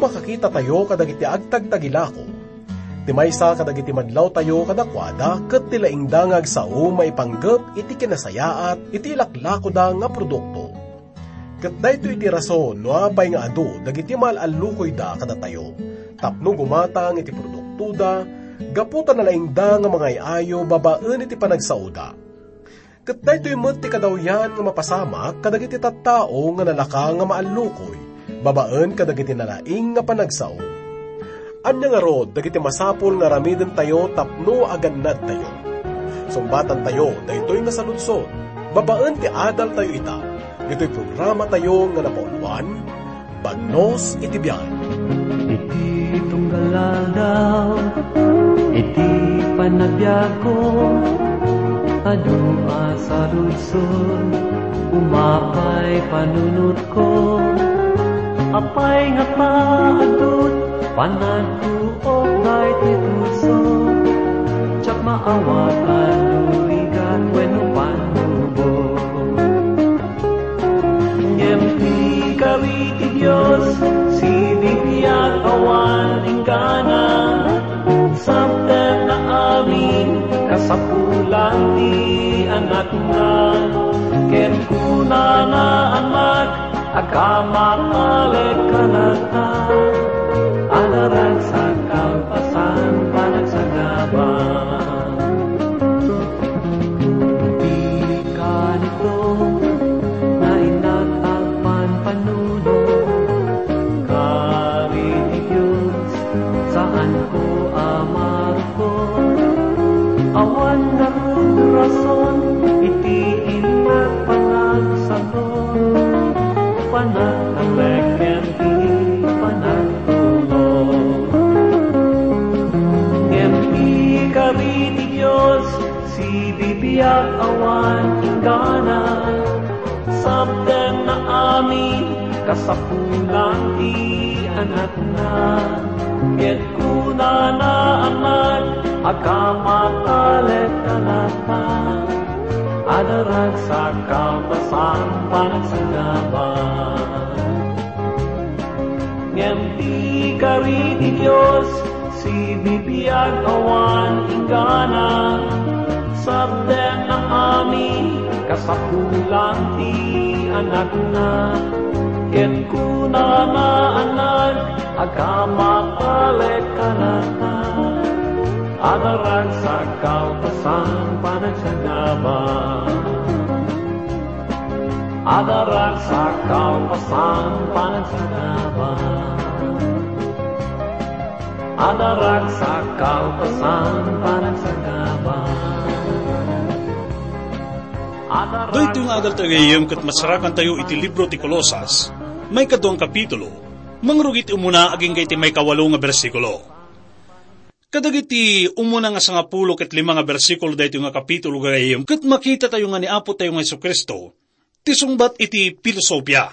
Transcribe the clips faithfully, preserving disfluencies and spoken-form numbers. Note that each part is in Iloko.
Makakitatayo kadagiti agtagtagilako. Ti maysa kadagiti madlawtayo kadakuada ket ti laingda nga agsao maipanggep iti kinasayaat iti ilaklakoda nga produkto. Ket daytoy ti rason no apay nga adu dagiti maal-allukoyda kadatayo tapno gumatang iti produktoda gapu ta nalaingda nga mangay-ayo babaen iti panagsaoda. Ket daytoy met ti kadawyan nga mapasamak kadagiti tattao nga nalaka nga maallukoy babaen kadagiti nalaing nga panagsao. Ania ngarud dagiti masapul nga aramidentayo tapno agannadtayo? Sungbatantayo daytoy nga saludsod babaen ti adaltayo ita, ditoy programatayo nga napauluan, Bagnos iti Biag. Iti tunggal aldaw, iti panagbiagko, adu a saludsod, umapay panunotko. Apay nga ta adut panagtuok daytoy puso, diak maawat a nurigat wenno pannubo. Ngem ti kari ti Dios, sibibiag awan inggana, sabdeng na amin kasapulan ti anakna. Ket kunana, Anak, agkammatalekka latta, adda ragsak kalpasan panagsagaba. Ti kanito, nainnak agpanpanunot, kari ti Dios, saanko a marukot. Awan ngarud rason iti innak panagsaton, panagtalek ken ti panagtulong. Ngem ti kari ti Dios, sibibiag awan inggana, sabdeng na amin kasapulan ti anakna. Ket kunana, Anak, agkammatalekka latta, adda ragsak kalpasan panagsagaba. Ngem ti kari ti Dios, sibibiag awan inggana, sabdeng na amin kasapulan ti anakna. Ket kunana, Anak, agkammatalekka latta, adda ragsak kalpasan panagsagaba. Adda ragsak kalpasan panagsagaba. Adda ragsak kalpasan panagsagaba. Adda Daytoy nga ragsak adaltayo gayam ket masarakantayo iti libro ti Colosas, maikadua nga kapitulo, mangrugi ti umuna agingga iti maikawalo nga bersikulo. Kadagiti umuna nga sangapulo ket lima nga bersikulo daytoy nga kapitulo gayam ket makitatayo nga ni Apotayo nga Jesu-Cristo ti sungbat iti pilosopia.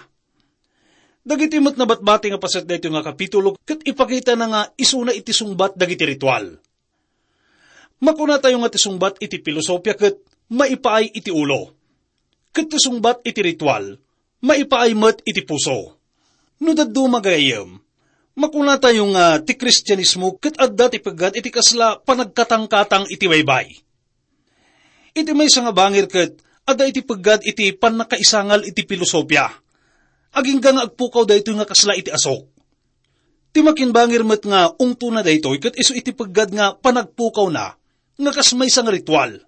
Dagiti met nabatbati nga paset daytoy nga kapitulo ket ipakitana nga isuna iti sungbat dagiti ritual. Makunatayo nga ti sungbat iti pilosopia ket maipaay iti ulo, ket ti sungbat iti ritual maipaay met iti puso. No dadduma gayam, makunatayo nga ti Kristianismo ket adda ti peggad iti kasla panagkatangkatang iti baybay. Iti maysa nga bangir ket adda iti peggad iti pannakaisangal iti pilosopia. Agingga nga agpukaw daytoy nga kasla iti asok. Ti makinbangir met nga ungtona daytoy ket isu iti peggad nga panagpukawna nga kas maysa nga ritual.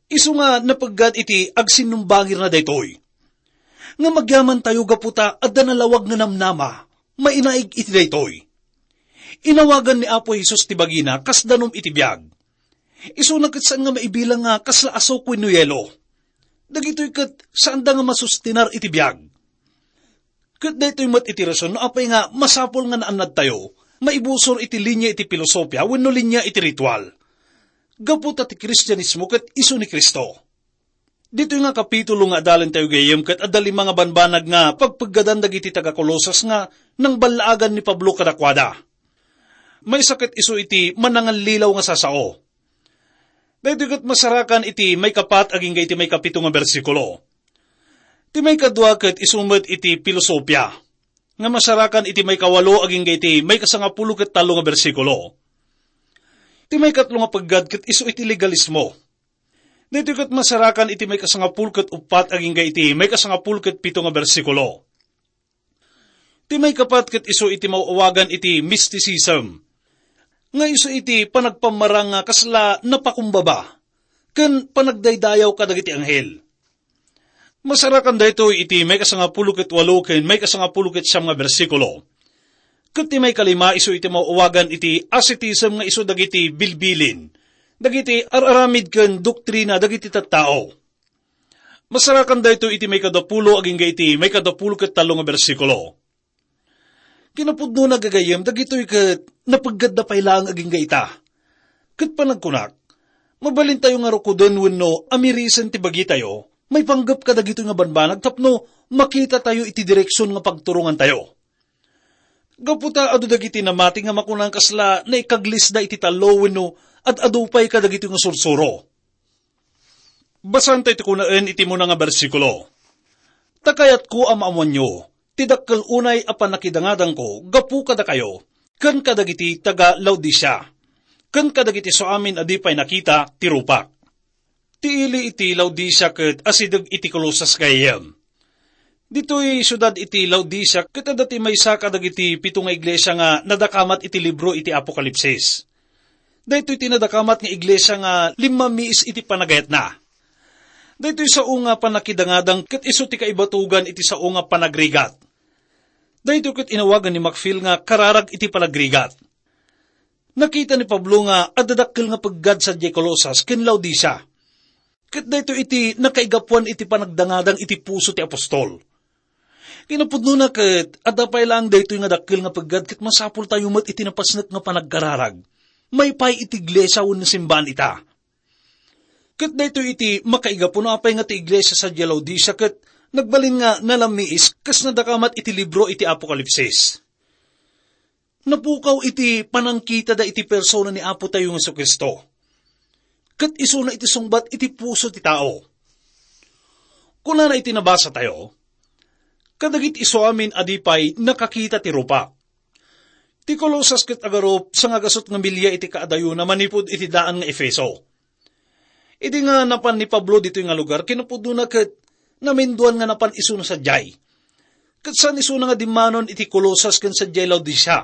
Isu nga napeggad iti agsinnumbangirna daytoy. Ngem agyamantayo gapu ta adda nalawag nga namnama, mainaig iti daytoy. Inawagan ni Apo Jesus ti bagina kas danum iti biag. Isuna ket saan nga maibilang nga kasla asok wenno yelo. Dagitoy ket saanda nga masustenar iti biag. Ket daytoy met iti rason no apay nga masapul nga naannadtayo maibusor iti linia iti pilosopia wenno linia iti ritual. Gapu ta ti Kristianismo ket isu ni Cristo. Ditoy nga kapitulo nga adalentayo gayam ket adda lima nga banbanag nga pagpeggadan dagiti taga-Colosas nga nangballaagan ni Pablo kadakuada. Maysa ket isu iti manangallilaw nga sasao. Daytoy ket masarakan iti maikapat agingga iti maikapito nga bersikulo. Ti maikadua ket isu met iti pilosopia. nga masarakan iti maikawalo agingga iti maikasangapulo ket tallo nga bersikulo. Ti maikatlo nga peggad ket isu iti legalismo. Daytoy ket masarakan iti maikasangapulo ket uppat agingga iti maikasangapulo ket pito nga bersikulo. Ti maikapat ket isu iti maawagan iti mysticism, nga isu iti panagpammarang nga kasla napakumbaba ken panagdaydayaw kadagiti anghel. Masarakan daytoy iti maikasangapulo ket walo ken maikasangapulo ket siam nga bersikulo. Ket ti maikalima isu iti maawagan iti ascetism nga isu dagiti bilbilin, dagiti ar-aramid ken doktrina dagiti tattao. Masarakan daytoy iti maikadapulo agingga iti maikadapulo ket tallo nga bersikulo. Kinapudnona, gagayyem, dagitoy ket napeggadda pay laeng agingga ita. Ket panagkunak, mabalintayo nga rukoden wenno amirisen ti bagitayo maipanggep kadagitoy nga banbanag tapno makitatayo iti direksion nga pagturongantayo. Gapu ta adu dagiti namati nga makunan kasla naikaglisda iti tallo wenno ad-adu pay kadagitoy nga sursuro. Basaentayo ti kunaen iti muna nga bersikulo. Ta kayatko a maammoanyo ti dakkel unay a pannakidangadangko gapu kadakayo ken kadagiti taga-Laodicea ken kadagiti isuamin a di pay nakita ti rupak. Ti ili iti Laodicea ket asideg iti Colosas gayyem. Ditoy siudad iti Laodicea ket adda ti maysa kadagiti pito nga iglesia nga nadakamat iti libro iti Apokalipsis. Daytoy ti nadakamat nga iglesia nga limmamiis iti panagayatna. Daytoy sao nga pannakidangadang ket isu ti kaibatugan iti sao nga panagrigat. Daytoy ket inawagan ni Macfield nga kararag iti panagrigat. Nakita ni Pablo nga adda dakkel nga peggad sadiay Colosas ken Laodicea. Ket daytoy iti nakaigapuan iti panagdangadang iti puso ti apostol. Kinapudnona ket adda pay laeng daytoy nga dakkel nga peggad ket masapultayo met iti napasnek nga panagkararag. Maipaay iti iglesia wenno simbaan ita. Ket daytoy iti makaigapuna apay nga ti iglesia sadiay Laodicea ket nagbalin nga nalammiis kas nadakamat iti libro iti Apokalipsis. Napukaw iti panangkitada iti persona ni Apotayo nga Jesu-Cristo. Ket isuna iti sungbat iti puso ti tao. Kunana iti nabasatayo, kadagiti isuamin a di pay nakakita ti rupak. Ti Colosas ket agarup sangagasut nga milia iti kaadayona manipud iti daan nga Efeso. Idi nga napan ni Pablo ditoy nga lugar, kinapudnona ket naminduan nga napan isuna sadiay. Ket saan isuna nga dimmanon iti Colosas ken sadiay Laodicea.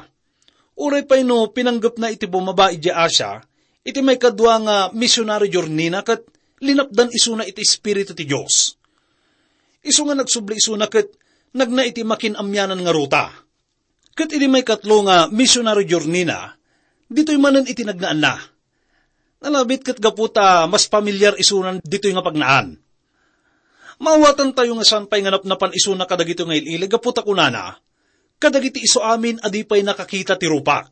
Uray pay no pinanggepna iti bumaba idiay Asia, iti maikadua nga misionary journey-na ket linapdan isuna iti Espiritu ti Dios. Isu nga nagsubli isuna ket nagna iti makin-amianan nga ruta. Ket idi maikatlo nga misionary journey-na, ditoy manen iti nagnaanna. Nalabit ket gapu ta mas pamilyar isunan ditoy nga pagnaan. Maawatantayo nga saan pay nga napnapan isuna kadagitoy nga il-ili gapu ta kunana, "Kadagiti isuamin a di pay nakakita ti rupak."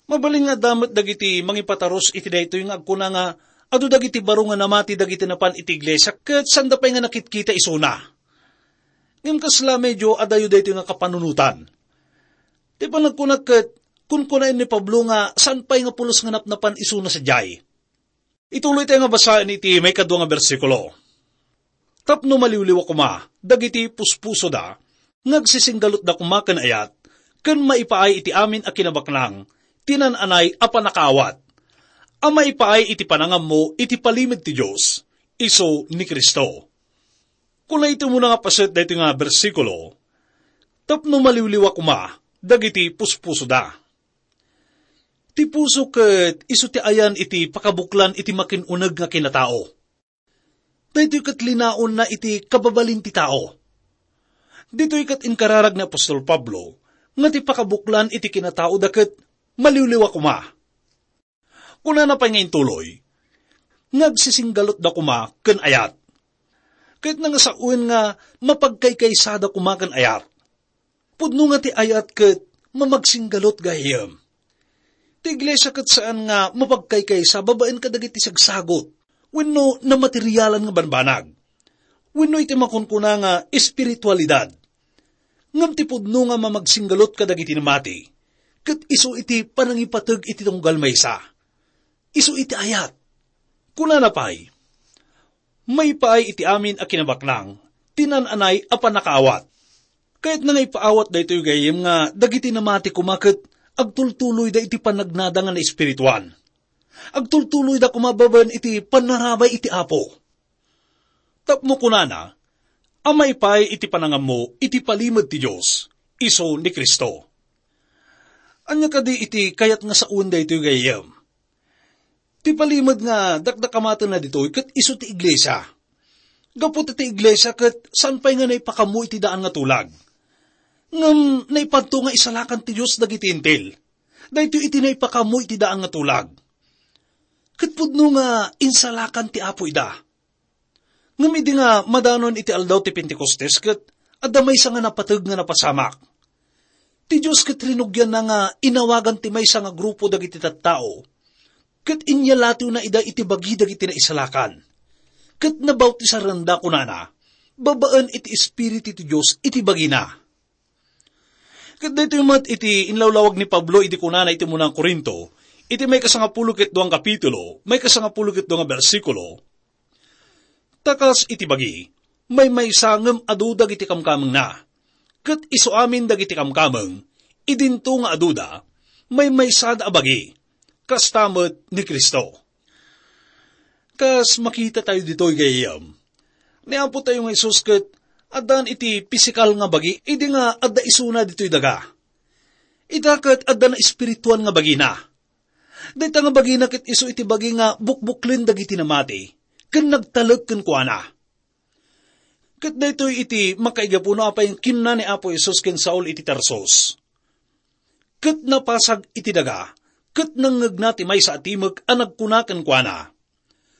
Mabalin nga adda met dagiti mangipatarus iti daytoy nga agkuna nga adu dagiti baro nga namati dagiti napan iti iglesia ket sanda pay nga nakitkita isuna. Ngem kasla medio adayo daytoy nga kapanunotan. Ti panagkuna ket kunkunaen ni Pablo nga saan pay nga pulos nga napnapan isuna sadiay. Ituloy tayo nga basaen iti maikadua nga bersikulo. Tapno maliwliwa koma dagiti puspusoda, nga agsisinggalutda koma ken ayat, ken maipaay iti amin a kinabaknang ti naan-anay a pannakaawat, a maipaay iti panangammo iti palimed ti Dios, isu ni Cristo. Kuna iti umuna nga paset daytoy nga bersikulo, tapno maliwliwa koma dagiti puspusoda. Ti puso ket isu ti ayan iti pakabuklan iti makin-uneg nga kinatao. Daytoy ket linaonna iti kababalin ti tao. Ditoy ket inkararag ni apostol Pablo nga ti pakabuklan iti kinataoda ket maliwliwa koma. Kunana pay nga intuloy, nga agsisinggalutda koma ken ayat. Ket nangasawen nga mapagkaykaysada koma ken ayat. Pudno nga ti ayat ket mamagsinggalut gayam. Ti iglesia ket saan nga mapagkaykaysa babaen kadagiti sagsagot wenno namaterialan nga banbanag wenno iti makunkuna nga espiritualidad. Ngem ti pudno nga mamagsinggalut kadagiti namati ket isu iti panangipateg iti tunggal maysa. Isu iti ayat. Kunana pay, "Maipaay iti amin a kinabaknang ti naan-anay a pannakaawat." Kayatna nga ipaawat daytoy gayyem nga dagiti namati koma ket agtultuloyda iti panagnada nga naespirituan. Agtultuloyda koma babaen iti pannarabay iti Apo. Tapno kunana, a maipaay iti panangammo iti palimed ti Dios, isu ni Cristo. Ania kadi iti kayat nga sawen daytoy gayyem? Ti palimed nga dakdakamatenna ditoy ket isu ti iglesia. Gapu ta ti iglesia ket saan pay nga naipakammo iti daan nga tulag. Ngem naipadto nga isalakan ti Dios dagiti Hentil. Daytoy iti naipakammo iti daan nga tulag. Ket pudno nga insalakan ti Apo ida. Ngem idi nga madanon iti aldaw ti Pentecostes ket adda maysa nga napateg nga napasamak. Ti Dios ket rinugianna nga inawagan ti maysa nga grupo dagiti tattao, ket inyalatiwna ida iti bagi dagiti naisalakan. Ket nabautisaranda, kunana, babaen iti Espiritu ti Dios iti bagina. Ket daytoy met iti inlawlawag ni Pablo idi kunana iti munang Corinto, iti may kasangapulo ket duang kapitulo, may kasangapulo ket dua nga bersikulo, "Ta kas iti bagi, maymaysa ngem adu dagiti kamkamengna. Ket isu amin dagiti kamkameng, idinto nga aduda, maymaysada a bagi, kasta met ni Cristo." Kas makita tayo ditoy gayyem, ni Apo tayo nga Jesus ket addan iti pisikal nga bagi idi nga adda isuna ditoy daga. Ita ket adda na espirituan nga bagina. Dayta nga bagina ket isu iti bagi nga bukbuklen dagiti namati, ken nagtalek kenkuana. Ket daytoy iti makaigapu no apay kinuna ni Apo Jesus ken Saul iti Tarsus. Ket napasag iti daga, ket nangngegna ti maysa a timek a nagkuna kenkuana,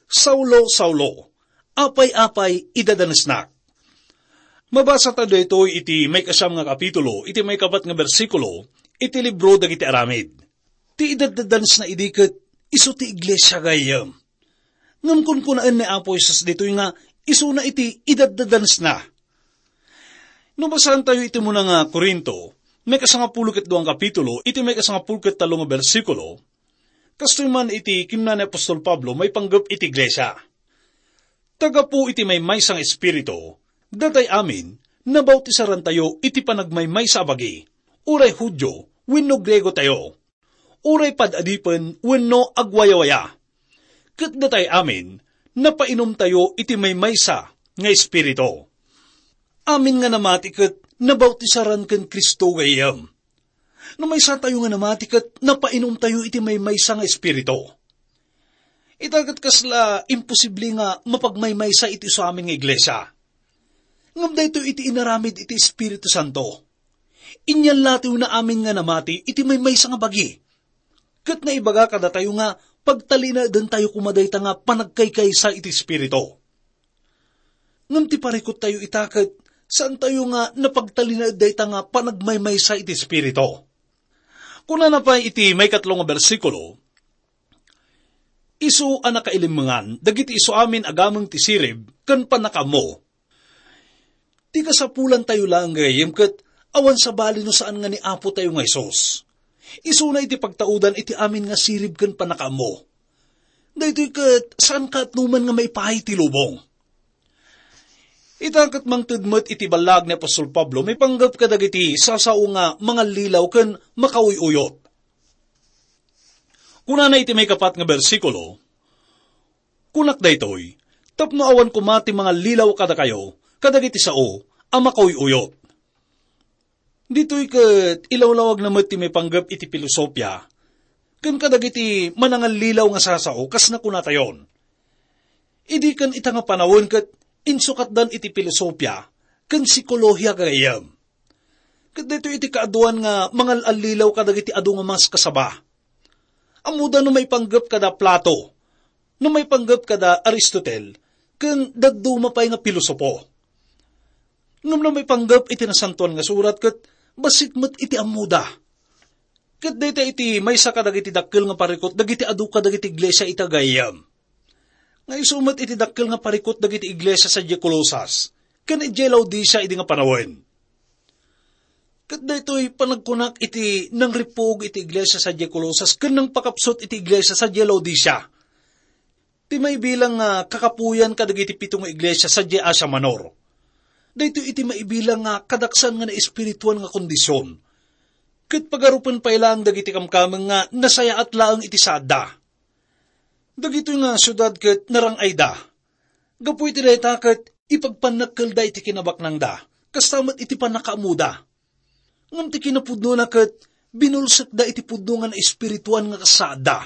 "Saulo, Saulo, apay-apay idadanesnak?" Mabasa ta daytoy iti maikasiam nga kapitulo, iti maikapat nga bersikulo, iti libro dagiti Aramid. Ti idadadanesna idi ket isu ti iglesia gayyem. Ngem kunkunaen ni Apo Jesus ditoy nga isuna iti idadadanesna. No basaentayo iti muna nga Corinto, maikasangapulo ket dua nga kapitulo, iti maikasangapulo ket tallo nga bersikulo, kastoy man iti kinuna ni apostol Pablo maipanggep iti iglesia. Ta gapu iti maymaysa nga Espiritu, datay amin, nabautisarantayo iti panagmaymaysa a bagi, uray Judio wenno Griego tayo, uray pad-adipen wenno agwayawaya. Ket datay amin, napainomtayo iti maymaysa nga Espiritu. Amin nga namati ket nabautisaran ken Cristo gayyem. No maysatayo nga namati ket napainomtayo iti maymaysa nga Espiritu. Ita ket kasla imposible nga mapagmaymaysa iti isu amin nga iglesia. Ngem daytoy iti inaramid iti Espiritu Santo. Inyallatiwna amin nga namati iti maymaysa nga bagi. Ket naibaga kadatayo nga pagtalinaedentayo koma dayta nga panagkaykaysa iti Espiritu. Ngem ti parikuttayo ita ket saantayo nga napagtalinaed dayta nga panagmaymaysa iti Espiritu. Kunana pay iti maikatlo nga bersikulo, "Isu a nakailimmengan dagiti isu amin a gameng ti sirib ken pannakaammo." Ti kasapulantayo laeng gayyem ket awan sabali no saan nga ni Apo tayo nga Jesus. Isuna iti pagtaudan iti amin nga sirib ken pannakaammo. Daytoy ket saan kaatnoman nga maipaay ti lubong. Ita ket mangted met iti ballaag ni apostol Pablo maipanggep kadagiti sasao nga mangallilaw ken makauy-uyot. Kunana iti maikapat nga bersikulo, "Kunak daytoy, tapno awan koma ti mangallilaw kadakayo kadagiti sao a makauy-uyot." Ditoy ket ilawlawagna met ti maipanggep iti filosofia ken kadagiti manangallilaw nga sasao kas nakunatayon. Idi ken ita nga panawen ket insukatdan iti filosofia ken psikolohiya gayyem. Ket daytoy iti kaaduan nga mangal-allilaw kadagiti adu nga maskasaba. Ammoda no maipanggep kada Plato, no maipanggep kada Aristotel, ken dadduma pay nga pilosopo. Ngem no maipanggep iti Nasantoan nga Surat ket bassit met iti ammoda. Ket dayta iti maysa kadagiti dakkel nga parikut dagiti adu kadagiti iglesia ita gayyem. Nga isu met iti dakkel nga parikut dagiti iglesia sadiay Colosas ken idiay Laodicea idi nga panawen. Ket daytoy panagkunak iti nangripuog iti iglesia sadiay Colosas ken nangpakapsut iti iglesia sadiay Laodicea. Ti maibilang nga kakapuyan kadagiti pito nga iglesia sadiay Asia Minor. daytoy iti maibilang nga kadaksan nga naespirituan nga kondision. Ket pagarupen pay laeng dagiti kamkameng nga nasayaat laeng iti saadda. Dagitoy nga siudad ket narang-ayda. Gapu iti dayta ket ipagpannakkelda iti kinabaknangda, kasta met iti pannakaammoda. Ngem ti kinapudnona ket binulsekda iti pudno nga naespirituan nga kas saadda.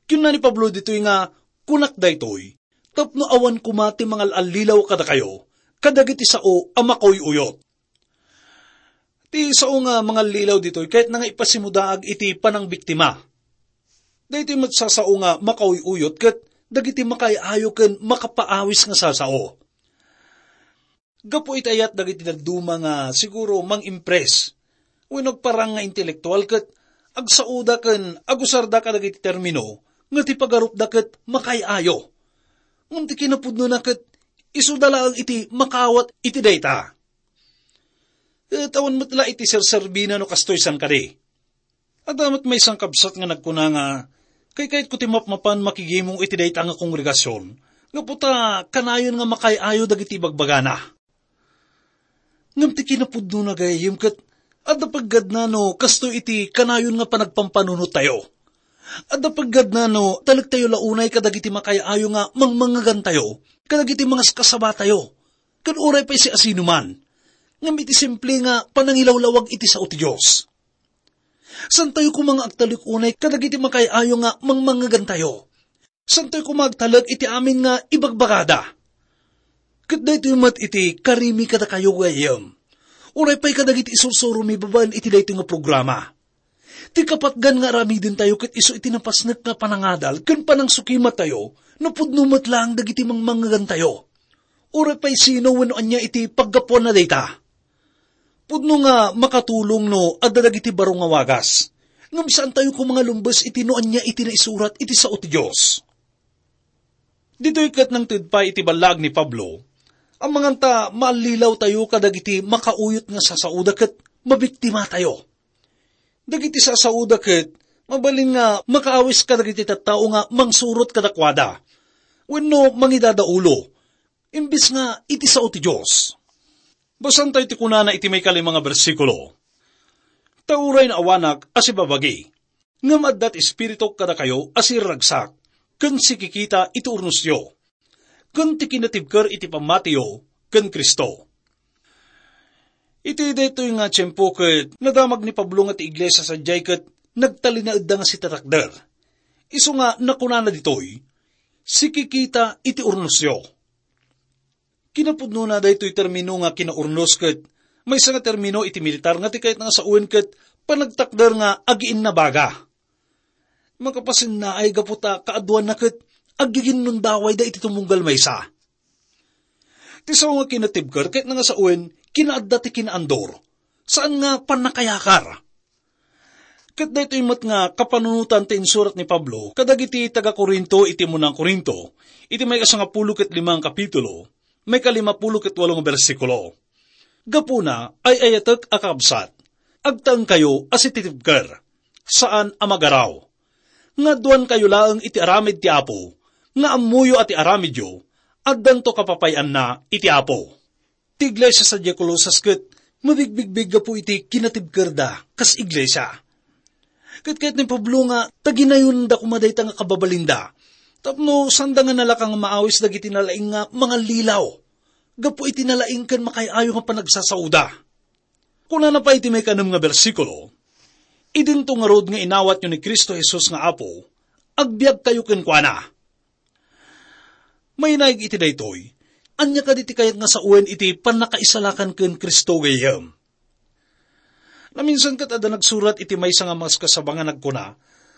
Kinuna ni Pablo ditoy nga, "Kunak daytoy, tapno awan koma ti mangal-allilaw kadakayo, kadagiti sao a makauyuyot." Ti sao nga mangallilaw ditoy, kayatna nga ipasimudaag iti panangbiktima. Daytoy met a sao nga makauyuyot ket dagiti makaay-ayo ken makapaawis nga sasao. Gapu iti ayat dagiti dadduma nga siguro mang-impress wenno agparang nga intelektual ket agsaoda ken agusarda kadagiti termino nga ti pagarupda ket makaay-ayo. Ngem ti kinapudnona ket isuda laeng iti makaawat iti dayta. Ket awan met la iti serserbina no kastoy san kadi. Adda met maysa nga kabsat nga nagkuna nga, "Kaykayatko ti mapmapan makigimong iti dayta nga kongregasion, gapu ta kanayon nga makaay-ayo dagiti ibagbagana." Ngem ti kinapudnona, gayyem, ket adda paggadna no kastoy iti kanayon nga panagpampanunottayo. Adda paggadna no talektayo la unay kadagiti makaay-ayo nga mangmangegantayo, kadagiti mangaskasabatayo, ken uray pay siasinoman. Ngem iti simple nga panangilawlawag iti sao ti Dios. Santayo koma nga agtalek unay kadagiti makaay-ayo nga mangmangegantayo. Santayo koma agtalek iti amin nga ibagbagada. Ket daytoy met iti karimi kadakayo, gayyem. Uray pay kadagiti isursuromi babaen iti daytoy nga programa. Ti kapatgan nga aramidentayo ket isu iti napasnek nga panangadal ken panangsukimattayo no pudno met laeng dagiti mangmangegantayo. Uray pay sino wenno ania iti paggapuanna dayta. Pudno nga makatulong no adda dagiti baro nga wagas. Ngem saantayo koma nga lumbes iti no ania iti naisurat iti sao ti Dios. Ditoy ket nangted pay iti ballaag ni Pablo, amangan ta maallilawtayo kadagiti makauyot nga sasaoda ket mabiktimatayo. Dagiti sasaoda ket mabalin nga makaawis kadagiti tattao nga mangsurot kadakuada wenno mangidadaulo, imbes nga iti sao ti Dios. Basantayo ti kunana iti maikalima nga bersikulo, "Ta uray naawanak a sibabagi, ngem adda ti Espirituk kadakayo a sirragsak, ken sikikita iti urnosyo, ken ti kinatibker iti pammatiyo ken Cristo." Iti daytoy nga tiempo ket nadamag ni Pablo nga ti iglesia sadiay ket nagtalinaedda nga sitatakder. Isu nga nakunana ditoy, "Sikikita iti urnosyo." Kinapudnona, daytoy termino nga kinaurnos ket maysa nga termino iti militar nga ti kayatna nga sawen ket panagtakder nga agiinnabaga. Makapasennaay gapu ta kaaduanna ket aggiginnundawayda iti tumunggal maysa. Ti sao nga kinatibker ket nga sawen, kinaadda ti kinaandor, saan nga pannakayakar. Ket daytoy met nga kapanunotan ti insurat ni Pablo kadagiti taga-Corinto iti umuna nga Corinto, iti may kasangapulo ket lima nga kapitulo, may kalimapulo ket walo nga bersikulo. Gapuna, ay-ayatek a kakabsat, agtaengkayo a sititibker, saan a magaraw. Nga adduankayo laeng iti aramid ti Apo, nga ammoyo a ti aramidyo, addanto kapapay-anna iti Apo. Ti iglesia sadiay Colosas ket mabigbigbig gapu iti kinatibkerda kas iglesia. Ket kayat ni Pablo nga taginayonda koma dayta nga kababalinda, tapno sanda nga nalaka nga maawis dagiti nalaing nga mangallilaw gapu iti nalaing ken makaay-ayo nga panagsasaoda. Kunana pay iti maikanem nga bersikulo, "Idinto ngarud nga inawatyo ni Cristo Jesus nga Apo, agbiagkayo kenkuana." Mainaig iti daytoy, ania kadi ti kayat nga sawen iti pannakaisalakan ken Cristo, gayyem? Naminsan ket adda nagsurat iti maysa nga maskasaba nga nagkuna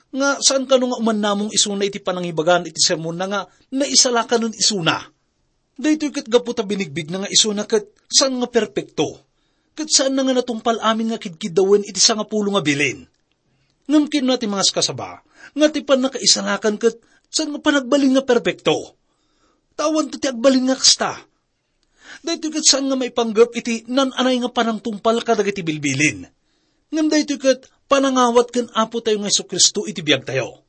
nga saan kano nga umannamong isuna iti panangibagan iti sermonna nga naisalakan isuna. Daytoy ket gapu ta binigbigna nga isuna ket saan nga perpekto, ket saanna nga natungpal amin nga kidkiddawen iti sangapulo nga bilin. Ngem kinuna ti mangaskasaba nga ti pannakaisalakan ket saan nga panagbalin nga perpekto. Ta awanto ti agbalin nga kasta. Daytoy ket saan nga maipanggep iti naan-anay nga panangtungpal kadagiti bilbilin. Ngem daytoy ket panangawat ken Apotayo nga Jesu-Cristo iti biagtayo.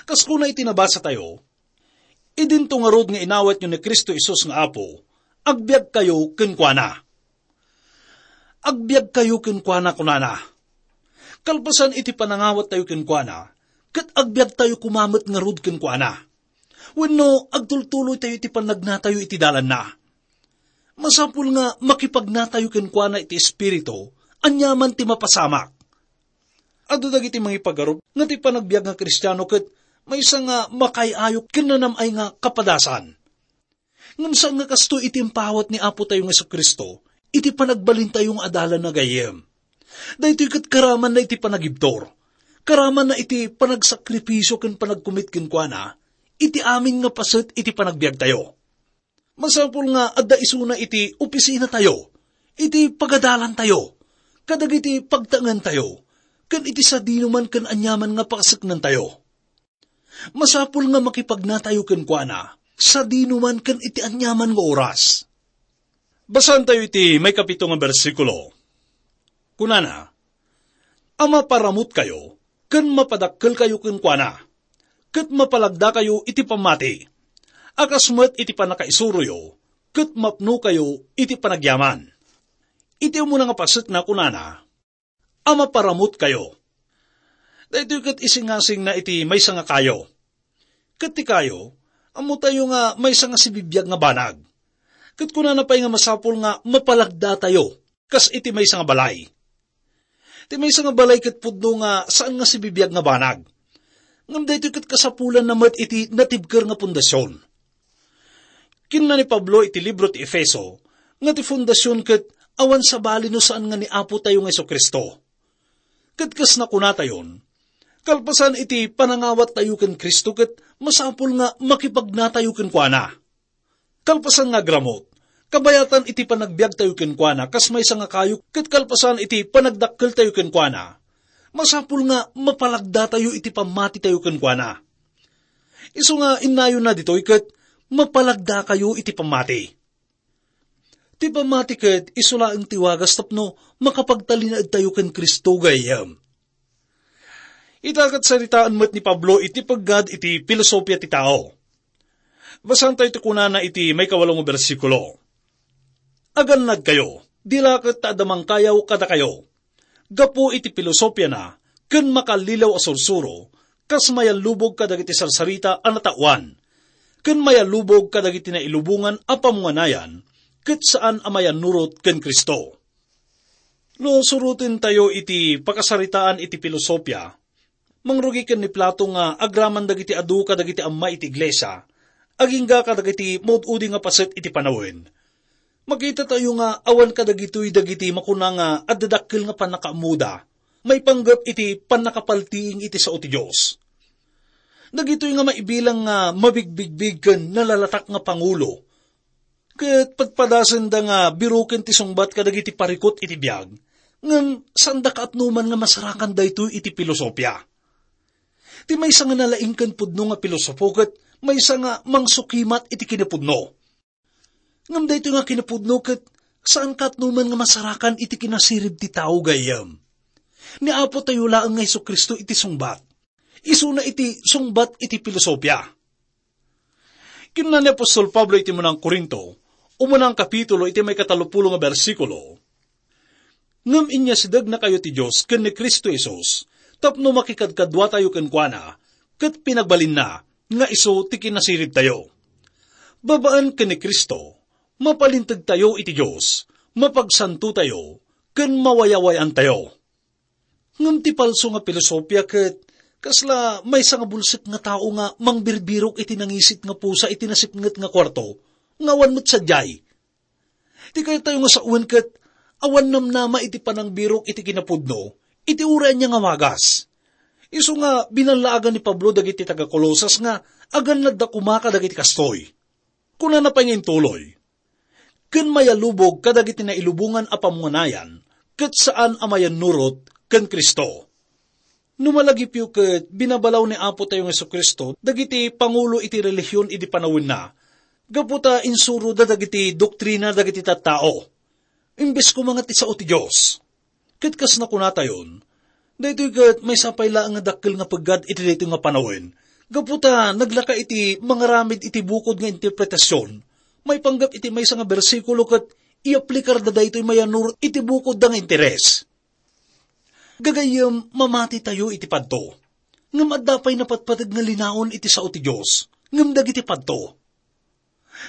Kas kuna iti nabasatayo, "Idinto ngarud nga inawatyo ni Cristo Jesus nga Apo, "Agbiagkayo kenkuana." "Agbiagkayo kenkuana," kunana. Kalpasan iti panangawattayo kenkuana, ket agbiagtayo koma met ngarud kenkuana. Wenno, agtultuloytayo iti pannagnatayo iti dalanna. Masapul nga makipagnatayo kenkuana iti Espiritu, aniaman ti mapasamak. Adu dagiti mangipagarup nga ti panagbiag nga Kristiano ket maysa nga makaay-ayo ken nanam-ay nga kapadasan. Ngem saan nga kastoy iti impawat ni Apotayo nga Jesu-Cristo iti panagbalintayo nga adalanna gayyem. Daytoy ket karamanna iti panagibtur. Karamanna iti panagsakripisio ken panagkumit kenkuana iti amin nga paset iti panagbiagtayo. Masapul nga adda isuna iti opisinatayo, iti pagadalantayo, kadagiti pagtaengentayo, ken iti sadinoman ken aniaman nga pakaseknantayo. Masapul nga makipagnatayo kenkuana, sadinoman ken iti aniaman nga oras. Basaentayo iti maikapito nga bersikulo. Kunana, "A maparamutkayo ken mapadakkelkayo kenkuana, ket mapalagdakayo iti pammati, a kas met iti pannakaisuroyo, ket mapnokayo iti panagyaman." Iti umuna nga pasekna, kunana, "A maparamutkayo." Daytoy ket isingasingna iti maysa nga kayo. Ket ti kayo, ammotayo nga maysa nga sibibiag nga banag. Ket kunana pay nga masapul nga mapalagdatayo kas iti maysa nga balay. Ti maysa nga balay ket pudno nga saan nga sibibiag nga banag. Ngem daytoy ket kasapulanna met iti natibker nga pundasion. Kinuna ni Pablo iti libro ti Efeso nga ti fundasion ket awan sabali no saan nga ni Apotayo nga Jesu-Cristo. Ket kas nakunatayon, kalpasan iti panangawattayo ken Cristo ket masapul nga makipagnatayo kenkuana. Kalpasan nga agramut, kabayatan iti panagbiagtayo kenkuana kas maysa nga kayo ket kalpasan iti panagdakkeltayo kenkuana, masapul nga mapalagdatayo iti pammatitayo kenkuana. Isu nga innayonna ditoy ket mapalagdakayo iti pammati. Ti pammati ket isu laeng ti wagas tapno makapagtalinaedtayo ken Cristo gayyem. Ita ket saritaan met ni Pablo iti peggad iti pilosopia ti tao. Basaentayo ti kunana iti maikawalo nga bersikulo, "Agannadkayo, di la ket ta adda mangkayaw kadakayo." Gapu iti pilosopiana ken makallilaw a sursuro, kas mayallubog kadagiti sarsarita a nataoan, ken mayallubog kadagiti nailubongan a pamunganayan, ket saan a mayannurot ken Cristo. No surotentayo iti pakasaritaan iti pilosopia, mangrugi ken ni Plato nga agraman dagiti adu kadagiti amma iti iglesia, agingga kadagiti maud-udi nga paset iti panawen. Makitatayo nga awan kadagitoy dagiti makuna nga adda dakkel nga pannakaammoda maipanggep iti pannakapaltiing iti sao ti Dios. Dagitoy nga maibilang nga mabigbigbig ken nalalatak nga pangulo, ket padpadasenda nga biroken ti sungbat kadagiti parikut iti biag, ngem saanda kaatnoman nga masarakan daytoy iti pilosopia. Ti maysa nga nalaing ken pudno nga pilosopo ket maysa nga mangsukimat iti kinapudno. Ngem daytoy nga kinapudno ket saan kaatnoman nga masarakan iti kinasirib ti tao gayyem. Ni Apotayo laeng nga Jesu-Cristo iti sungbat. Isuna iti sungbat iti pilosopia. Kinuna ni apostol Pablo iti munang Corinto, umunang kapitulo iti maikatalupulo nga bersikulo, "Ngem inyasidegnakayo ti Dios ken ni Cristo Jesus tapno makikadkaduatayo kenkuana, ket pinagbalinna nga isu ti kinasiribtayo. Babaen ken ni Cristo, mapalintegtayo iti Dios, mapagsantotayo, ken mawayawayaantayo." Ngem ti palso nga pilosopia ket kasla maysa nga bulsek nga tao nga mangbirbirok iti nangisit nga pusa iti nasipnget nga kuarto nga awan met sadiay. Ti kayatyo nga sawen ket awan namnama iti panangbirok iti kinapudno iti uray ania nga wagas. Isu nga binallaagan ni Pablo dagiti taga-Colosas nga agannadda koma kadagiti kastoy. Kunana pay nga intuloy, "Ken mayalubog kadagiti nailubongan a pamunganayan, ket saan a mayannurot ken Cristo." No malagipyo ket binabalaw ni Apotayo nga Jesu-Cristo dagiti pangulo iti relihion idi panawenna, gapu ta insuroda dagiti doktrina dagiti tattao, imbes koma nga ti sao ti Dios. Ket kas nakunatayon, daytoy ket maysa pay laeng nga dakkel nga peggad iti daytoy nga panawen, gapu ta naglaka iti mangaramid iti bukod nga interpretasion, Maipanggep iti maysa nga bersikulo ket iyaplikarda daytoy mayannurot iti bukodda nga interes. Gagayyem, mamatitayo iti padto. Ngem adda pay napatpateg nga linaon iti sao ti Dios, ngem dagiti padto.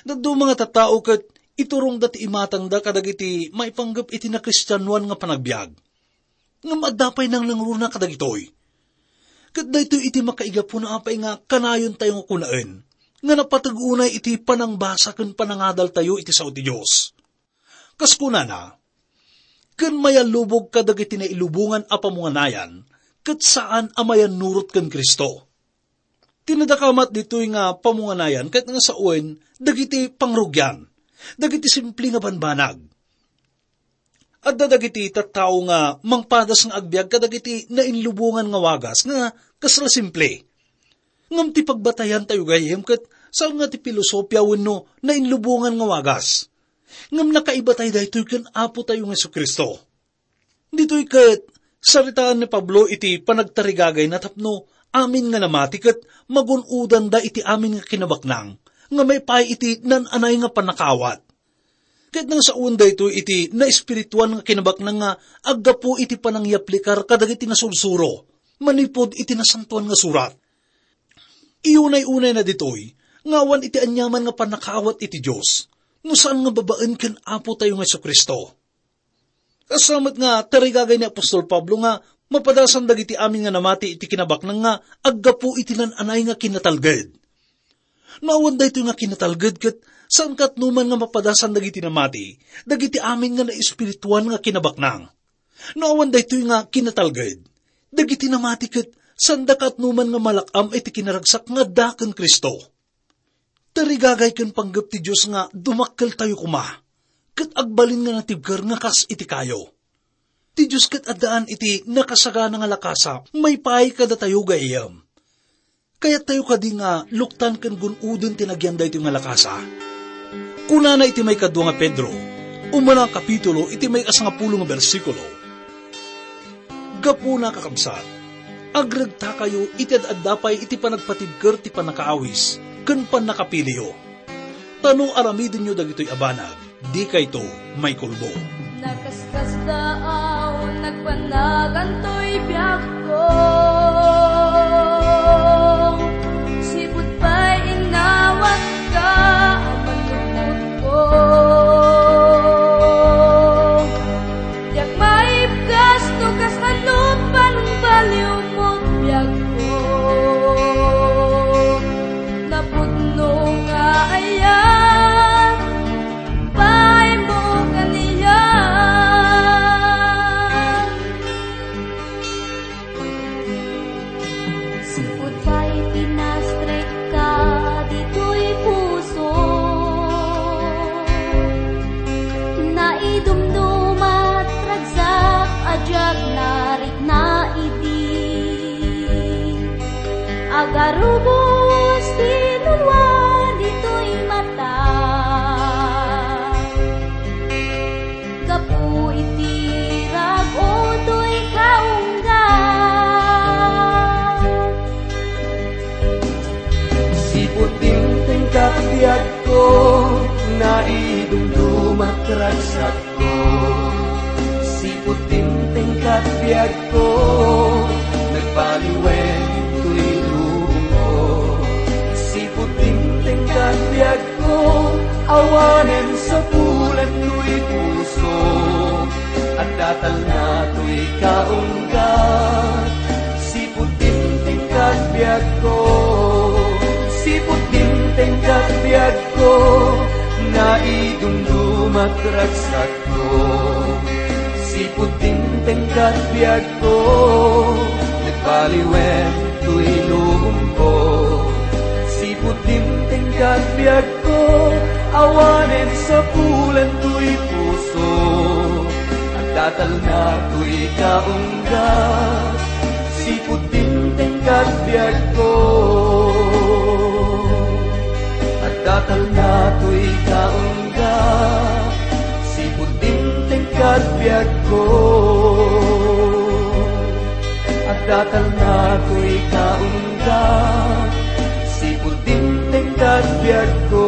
Dadduma nga tattao ket iturongda ti imatangda kadagiti maipanggep iti nakristianoan nga panagbiag. Ngem adda pay nangnangruna kadagitoy. Ket daytoy iti makaigapuna apay nga kanayontayo nga kunaen nga napateg unay iti panangbasa ken panangadaltayo iti sao ti Dios. Kas kunana, "Ken mayallubog kadagiti nailubongan a pamunganayan, ket saan a mayannurot ken Cristo." Ti nadakamat ditoy nga pamunganayan ket nga sawen dagiti pangrugian, dagiti simple nga banbanag. Adda dagiti tattao nga mangpadas nga agbiag kadagiti nainlubongan nga wagas nga kasla simple. Ngem ti pagbatayan tayo gayyem ket saan nga ti filosofia wenno nainlubongan nga wagas. Ngem nakaibatay daytoy ken Apo tayo nga Jesu-Cristo. Ditoy ket, saritaan ni Pablo iti panagtarigagayna tapno amin nga namati ket magun-odanda iti amin nga kinabaknang nga maipaay iti nan-anay nga pannakaawat. Ket nangsaon daytoy iti naespirituan nga kinabaknang nga aggapu iti panangyaplikar kadagiti nasursuro manipud iti Nasantoan nga Surat. Iyunay-unayna ditoy nga awan iti aniaman nga pannakaawat iti Dios no saan nga babaen ken Apo tayo nga Jesu-Cristo. Kasta met nga tarigagay ni apostol Pablo nga mapadasan dagiti amin nga namati iti kinabaknang nga aggapu iti nan-anay nga kinatalged. No awan daytoy nga kinatalged ket saan katnoman nga mapadasan dagiti namati, dagiti amin nga naespirituan nga kinabaknang. No awan daytoy nga kinatalged, dagiti namati ket saanda katnoman nga malak-am iti kinaragsak nga adda ken Cristo. Tarigagay ken panggep ti Dios nga dumakkeltayo koma, ket agbalin nga natibker nga kas iti kayo. Ti Dios ket addaan iti nakasagana nga lakasa maipaay kadatayo gayyem. Kayattayo kadi nga luktan ken gun-oden ti nagyan daytoy nga lakasa? Kunana iti maikadua nga Pedro, umuna a kapitulo, iti maikasangapulo nga bersikulo, "Gapuna, kakabsat, agregtakayo iti ad-adda pay iti panagpatibker ti pannakaawis ken pannakapiliyo. Ta no aramidenyo dagitoy a banag, dikayto maikulbo." Nakaskasdaaw, nagpanagantoy biagko. Sipud pay innawatka a manlukotko. Diak maibkas no kasano pangbaliwmo ti biagko. Napudno nga aya pay mo kaniak. Sipud pay pinastrek ka ditoy puso, naidumdumat ragsak a diak narikna idi. Agarubos ti nulua ditoy mata. Gapu iti rag-o toy kaungga. Sipud dimtengka ti biagko, naidumdumat ragsakko. Sipud dimtengka ti biagko, nagbaliwen toy lubongko. Sipud dimtengka ti biagko, awanen sapulan toy puso, adda talna toy kaungga. Sipud dimtengka ti biagko, sipud dimtengka ti biagko, naidumdumat ragsakko. Sipud dimtengka ti biagko, nagbaliwen toy lubongko. Sipud dimtengka ti biagko, awanen sapulan toy puso, adda talna toy kaungga. Sipud dimtengka ti biagko, adda talna toy kaungga. Sipud dimtengka ti biagko, adda talna toy kaungga. Sipud dimtengka ti biagko,